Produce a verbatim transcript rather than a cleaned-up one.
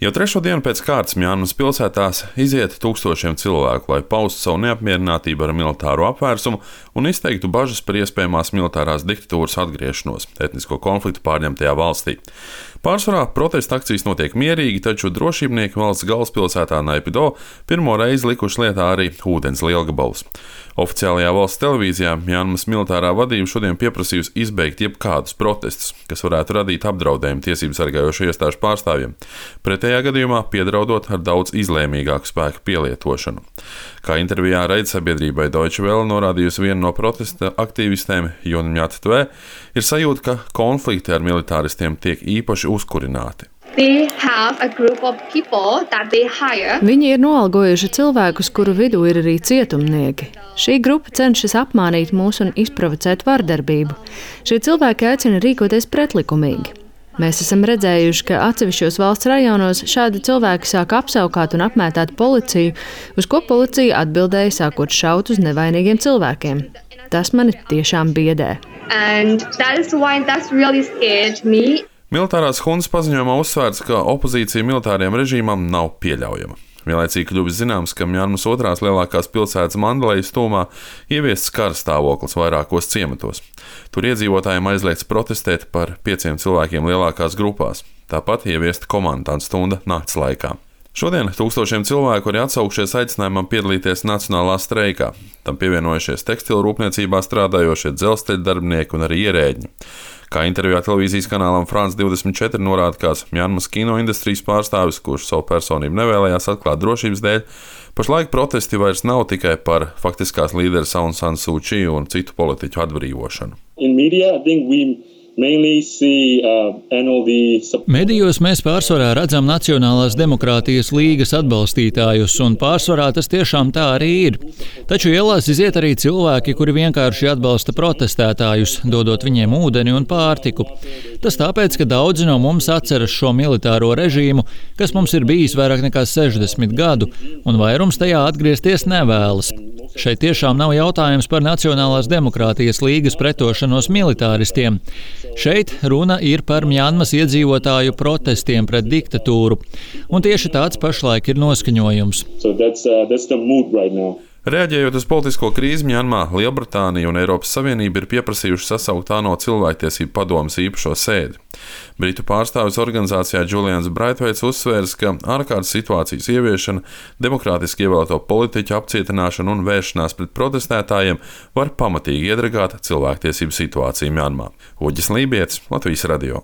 Jau trešo dienu pēc kārtas Mjanmas pilsētās iziet tūkstošiem cilvēku, lai paustu savu neapmierinātību ar militāro apvērsumu un izteiktu bažas par iespējamās militārās diktatūras atgriešanos etnisko konfliktu pārņemtajā valstī. Pārsvarā protesta akcijas notiek mierīgi, taču drošībnieki valsts galvaspilsētā Naypyidaw pirmo reizi likuši lietā arī ūdens lielgabalus. Oficiālajā valsts televīzijā Mjanmas militārā vadība šodien pieprasījusi izbeigt jebkādus protestus, kas varētu radīt apdraudējumu tiesību sargājošo iestāžu pārstāvjiem. Pretējā gadījumā piedraudot ar daudz izlēmīgāku spēku pielietošanu. Kā intervijā raidsabiedrībai Deutsche Welle norādījusi viena no protesta aktīvistēm Juna Mjatve, ir sajūta, ka konflikti ar militāristiem tiek īpaši uzkurināti. Viņi ir noalgojuši cilvēkus, kuru vidū ir arī cietumnieki. Šī grupa cenšas apmānīt mūs un izprovocēt vardarbību. Šie cilvēki aicina rīkoties pretlikumīgi. Mēs esam redzējuši, ka atsevišķos valsts rajonos šādi cilvēki sāk apsaukāt un apmētāt policiju, uz ko policija atbildēja sākot šaut uz nevainīgiem cilvēkiem. Tas mani tiešām biedē. Militārās huntas paziņojumā uzsvērts, ka opozīcija militāriem režīmam nav pieļaujama. Vienlaicīgi kļuvis zināms, ka Mjanmas otrās lielākās pilsētas Mandalejas tūmā ieviests kara stāvoklis vairākos ciematos. Tur iedzīvotājiem aizliegts protestēt par pieciem cilvēkiem lielākās grupās. Tāpat ieviesta komandantu stunda nakts laikā. Šodien tūkstošiem cilvēku arī atsaukšies aicinājumam piedalīties nacionālā streikā. Tam pievienojušies tekstilu rūpniecībā strādājošie dzelzceļa darbinieki un arī ierēģi. Kā intervijā televīzijas kanālam France divdesmit četri norāda kāds Mjanmas kino industrijas pārstāvis, kurš savu personību nevēlējās atklāt drošības dēļ, pašlaik protesti vairs nav tikai par faktiskās līderes Aung San Suu Kyi un citu politiķu atbrīvošanu. Medijos mēs pārsvarā redzam Nacionālās demokrātijas līgas atbalstītājus, un pārsvarā tas tiešām tā arī ir. Taču ielās iziet arī cilvēki, kuri vienkārši atbalsta protestētājus, dodot viņiem ūdeni un pārtiku. Tas tāpēc, ka daudzi no mums atceras šo militāro režīmu, kas mums ir bijis vairāk nekā sešdesmit gadu, un vairums tajā atgriezties nevēlas. Šeit tiešām nav jautājums par Nacionālās demokrātijas līgas pretošanos militāristiem. Šeit runa ir par Mjanmas iedzīvotāju protestiem pret diktatūru, un tieši tāds pašlaik ir noskaņojums. So that's, uh, that's the mood right now. Reaģējot uz politisko krīzi Mjanmā, Lielbritānija un Eiropas Savienība ir pieprasījuši sasaukt ANO cilvēktiesību padomes īpašo sēdi. Britu pārstāvis organizācijā Julians Braithwaits uzsvērs, ka ārkārtas situācijas ieviešana, demokrātiski ievēlēto politiķu apcietināšana un vēršanās pret protestētājiem var pamatīgi iedragāt cilvēktiesību situāciju Mjanmā. Uģis Lībietis, Latvijas radio.